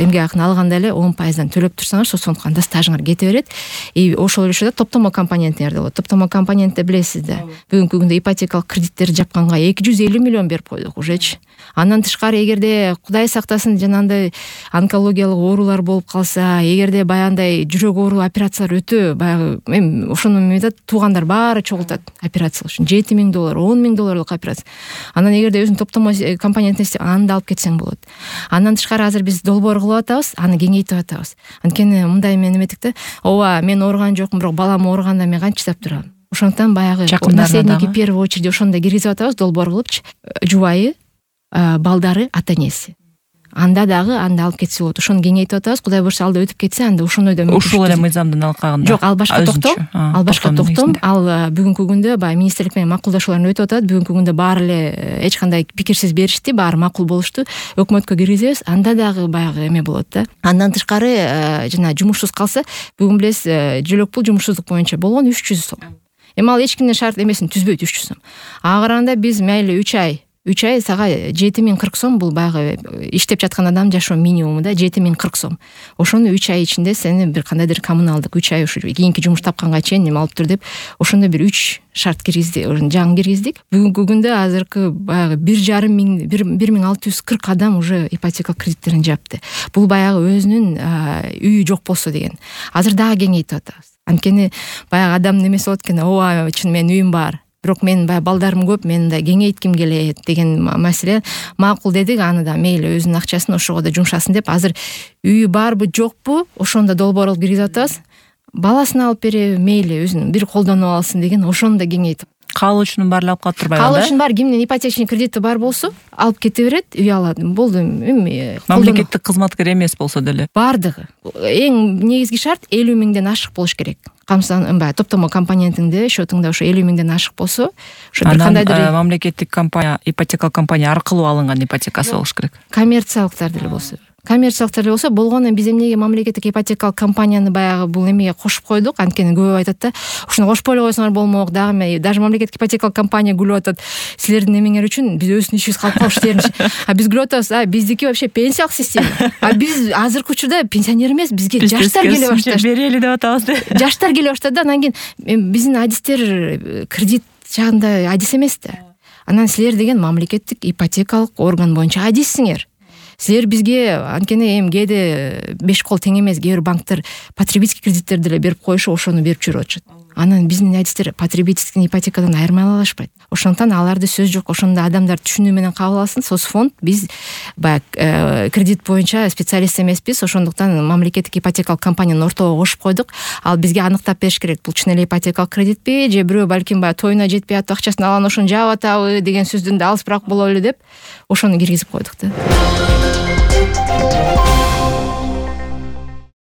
эмгек акын алганда эле 10% төлөп турсаңар, сондуктан анда стажыңар кете берет. И ошол эле учурда топтомо компонентиңерде болот. Топтомо компонентте билесиз да. Бүгүнкү күндө ипотекалык кредиттерди жапканга 250 миллион берип койдук ужечи. Андан тышкары эгерде Кудай сактасын жанагындай онкологиялык оорулар болуп калса, эгерде баягындай жүрөк оору операциялар өтө баягы эми ошону метат туугандар баары чогултат операция үчүн $7,000, $10,000 операция. Анан эгерде өзүң топтомо компонентин аны да алып кетсең болот. Андан тышкары азыр биз долбоор кылып атабыз, аны кеңейтип атабыз. Анткени мындай мен эметтик да, ооба мен ооруган жокмун, бирок балам ооруганда мен канча чыдап турам. Ошондон баягы наследники первый очередь ошондо киргизип атабыз, долбоор кылыпчы. Жубайы, балдары, ата-энеси. Анда дагы анда алып кетсе болот. Ошону кеңейтип атабыз. Кудай буюрса алда өтүп кетсе, анда ошондой да ушул эле мыйзамдын алкагында. Жок, ал башка токтом. Ал башка токтом. Ал бүгүнкү күндө баягы министрлик менен макулдашуулар өтүп атат. Бүгүнкү күндө баары эле эч кандай пикирсиз беришти, баары макул болушту. Өкмөткө киргизебиз. Анда дагы баягы эме болот да. Андан тышкары жана жумушсуз калса, бүгүн билесиз, жөлөк пул жумушсуздук боюнча болгон 300 сом. Эми ал эч кимдин шарт эмесин түзбөйт 300 сом. Ага караганда биз мейли 3 ай сага 7040 сом, бул баягы иштеп жаткан адам жашоо минимуму да 7040 сом. Ошону 3 ай ичинде сени бир кандайдыр коммуналдык 3 ай ушу кийинки жумуш тапканга чейин эме алып тур деп ошондой бир 3 шарт киргизди, жаңы киргиздик. Бүгүнкү күндө азыркы баягы 1640 адам уже ипотека кредиттерин жапты. Бул баягы өзүнүн үйү жок болсо деген. Азыр дагы кеңейтип атабыз. Анткени баягы адамдын эмеси болот экен, ооба чын менин үйүм бар. Бирок мен баягы балдарым көп, мен да кеңейтким келет деген маселе. Макул дедик, аны да мейли өзүнүн акчасын ошого да жумшасын деп, азыр үйү барбы жокпу ошондо долбоор кылып киргизип атабыз. Баласын алып береби, мейли өзүнүн бир колдонуп алсын деген, ошону да кеңейтип. Каалоочунун баары алып калып турбайбы? Каалоочунун баары кимдин ипотечный кредити бар болсо, алып кете берет, үй алат. Болду. Мамлекеттик кызматкер эмес болсо деле. Бардыгы. Эң негизги шарт 50 миңден ашык болуш керек. Топтомо компонентиңде, счетуңда ошо 50 миңден ашык болсо, ошо бир кандайдыр мамлекеттик компания, ипотекалык компания аркылуу алынган ипотекасы болуш керек. Коммерциялыктар деле болсо. Коммерциялыктар болсо болгону биз эмнеге мамлекеттик ипотекалык компанияны баягы бул эмеге кошуп койдук. Анткени көп айтат да, ушуну кошпой эле койсоңор болмок, дагы даже мамлекеттик ипотекалык компания күлүп атат. Силердин эмеңер үчүн биз өзүбүздүн ишибиз калып калыш деринчи. Биз күлүп атабыз, биздики вообще пенсиялык система. Биз азыркы учурда пенсионер эмес, бизге жаштар келе баштады. Берели деп атабыз да. Жаштар келе баштады да, анан кийин биздин адистер кредит жагында адис эмес да. Анан силер деген мамлекеттик ипотекалык орган боюнча адиссиңер. Силер бизге анткени эми кээде 5 кол тең эмес, кээ бир банктар потребительский кредиттерди эле берип коюшу, ошону берип жүрүп атышат. Анан биздин адистер потребительский ипотекадан айырмай алышпайт. Ошондон аларды сөз жок, ошондо адамдар түшүнүү менен кабыл алсын. Соцфонд биз баягы кредит боюнча специалист эмеспиз, ошондуктан мамлекеттик ипотекалык компанияны ортого кошуп койдук. Ал бизге аныктап бериш керек, бул чын эле ипотекалык кредитпи, же бирөө балким баягы тоюна жетпей атып акчасын алган ошону жаап атабы деген сөздөн да алысыраак бололу деп ошону киргизип койдук да.